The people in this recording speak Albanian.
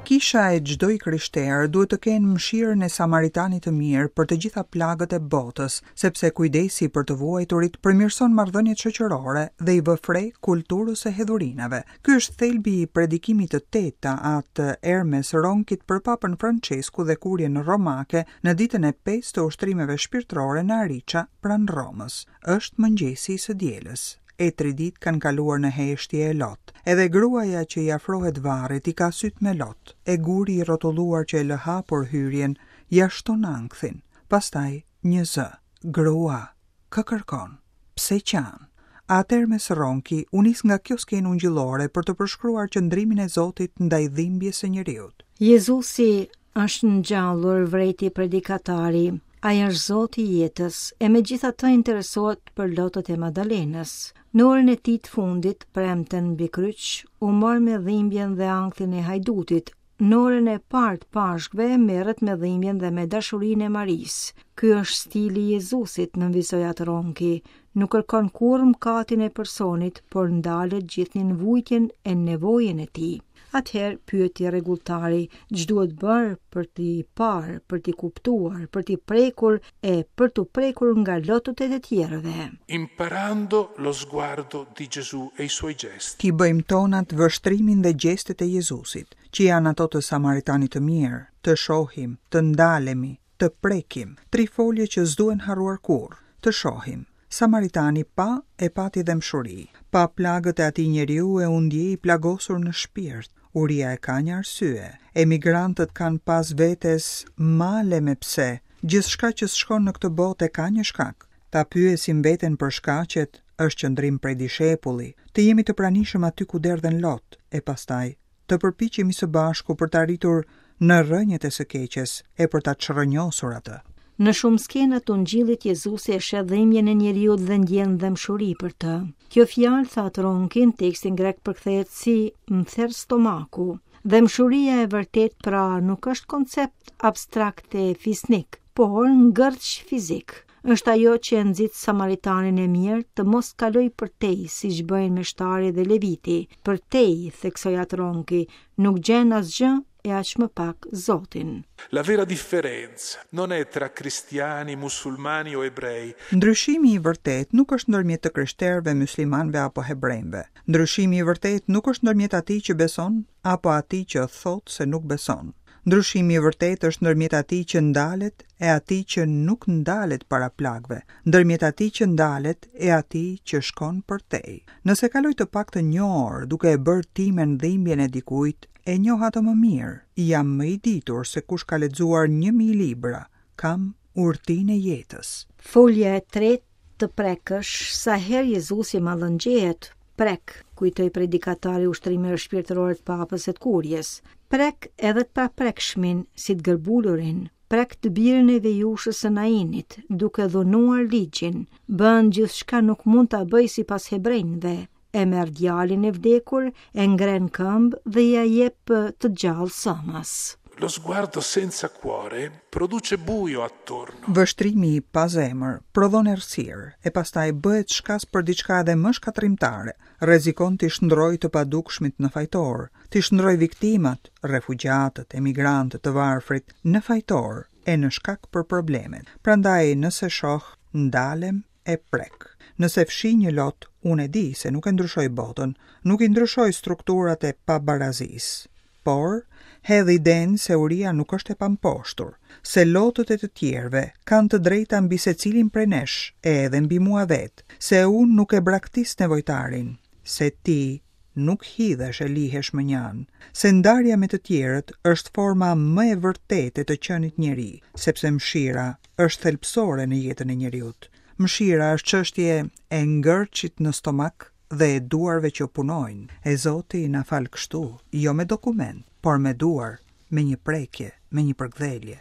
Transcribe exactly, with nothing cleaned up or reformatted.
Kisha e çdo i krishterë duhet të kenë mëshirën e Samaritanit të mirë për të gjitha plagët e botës, sepse kujdesi për të vuajturit përmirëson marrëdhëniet shoqërore dhe i vë fre kulturës së hedhurinave. Ky është thelbi i predikimit të tetë të At Ermes Ronkit për Papën Francesku dhe kurjen romake në ditën e pestë të ushtrimeve shpirtërore në Arica pranë Romës. Është mëngjesi i së dielës. E tri ditë kanë kaluar në heshtje e lot. Edhe gruaja që i afrohet varrit i ka sytë me lot, e guri i rrotulluar që e lë hapur hyrjen, ia shton ankthin. Pastaj një zë, grua, kë kërkon? Pse qan? At Ermes Ronki u nis nga kjo skenë ungjillore për të përshkruar qëndrimin e Zotit ndaj dhimbjes së njeriut. Jezusi është ngjallur, vrejti predikatari. Ai është Zoti i jetës, e megjithatë interesohet për lotët e Madalenës. Në orën e tij të fundit, premten mbi kryq, u mor me dhimbjen dhe ankthin e hajdutit. Në orën e parë të Pashkëve merret me dhimbjen dhe me dashurinë e Marisë. Ky është stili i Jezusit, nënvizoi At Ronki. Nuk kërkon kurrë mëkatin e personit, por ndalet gjithnjë në vujtjen e nevojën e tij. Atëherë pyeti rregulltari, ç'duhet bërë për t'i parë, për t'i kuptuar, për t'i prekur e për t'u prekur nga lotët e të tjerëve. Imparando lo sguardo di Gesù e i suoi gesti. T'i bëjmë tonat vështrimin dhe gjestet e Jezusit, që janë ato të Samaritanit të mirë, të shohim, të ndalemi, të prekim, tri folje që s'duhen harruar kurrë, të shohim. Samaritani pa e pati dhembshuri, pa plagët e atij njeriu e u ndje i plagosur në shpirt. Uria e ka një arsye. Emigrantët kanë pas vetes male me pse. Gjithçka që s'shkon në këtë botë e ka një shkak. Ta pyesim veten për shkaqet është qëndrim prej dishepulli, të jemi të pranishëm aty ku derdhen lot, e pastaj të përpiqemi së bashku për të arritur në rrënjët e së keqes e për ta çrrënjosur atë. Në shumë skena të ungjillit Jezusi e sheh dhimbjen e njeriut dhe ndjen dhembshuri për të. Kjo fjalë, tha Ronki, në tekstin grek përkthehet si më ther stomaku. Dhembshuria e vërtet pra nuk është koncept abstrakt e fisnik, por ngërç fizik. Është ajo që e nxit Samaritanin e mirë të mos kaloj përtej, siç bëjnë meshtari dhe leviti. Përtej, theksoi At Ronki, nuk gjen asgjë e aq më pak Zotin. La vera differenza non è tra cristiani, musulmani o ebrei. Ndryshimi i vërtet nuk është ndërmjet të krishterëve, muslimanëve apo hebrejve. Ndryshimi i vërtet nuk është ndërmjet atij që beson apo atij që thotë se nuk beson. Ndryshimi i vërtet është ndërmjet atij që ndalet e atij që nuk ndalet para plagëve, ndërmjet atij që ndalet e atij që shkon përtej. Nëse kaloj të paktën një orë duke e bërë timen dhimbjen e dikujt, e njoh atë më mirë, jam më i ditur se kush ka lexuar një mijë libra, kam urtinë e jetës. Folja e tretë të prekësh, sa herë Jezusi mallëngjehet, prek, kujtoi predikatari ushtrimeve shpirtërore të Papës e të Kurjes. Prek edhe të paprekshmin, si të gërbulurin, prek të birin e vejushës së Nainit, duke dhunuar ligjin, bën gjithçka nuk mund ta bëj sipas hebrejve, e merr djalin e vdekur, e ngren këmbë dhe ia jep të gjallë sëmës. Lo sguardo senza cuore produce buio attorno. Vështrimi i pa zemër prodhon errësirë e pastaj bëhet shkas për diçka edhe më shkatërrimtare. Rrezikon t'i shndrojë të padukshmit në fajtor, t'i shndrojë viktimat, refugjatët, emigrantët, të varfrit në fajtor e në shkak për problemet. Prandaj nëse shoh, ndalem e prek. Nëse fshi një lot, unë e di se nuk e ndryshoj botën, nuk i ndryshoj strukturat e pabarazisë, por hedh idenë se uria nuk është e pamposhtur, se lotët e të tjerëve kanë të drejta mbi secilin prej nesh e edhe mbi mua vetë, se unë nuk e braktis nevojtarin, se ti nuk hidhesh e lihesh më njanë, se ndarja me të tjerët është forma më e vërtetë e të qenit njeri, sepse mëshira është thelbësore në jetën e njeriut. Mëshira është çështje e ngërçit në stomak dhe e duarve që punojnë. E Zoti na fal kështu, jo me dokument, por me duar, me një prekje, me një përkdhelje.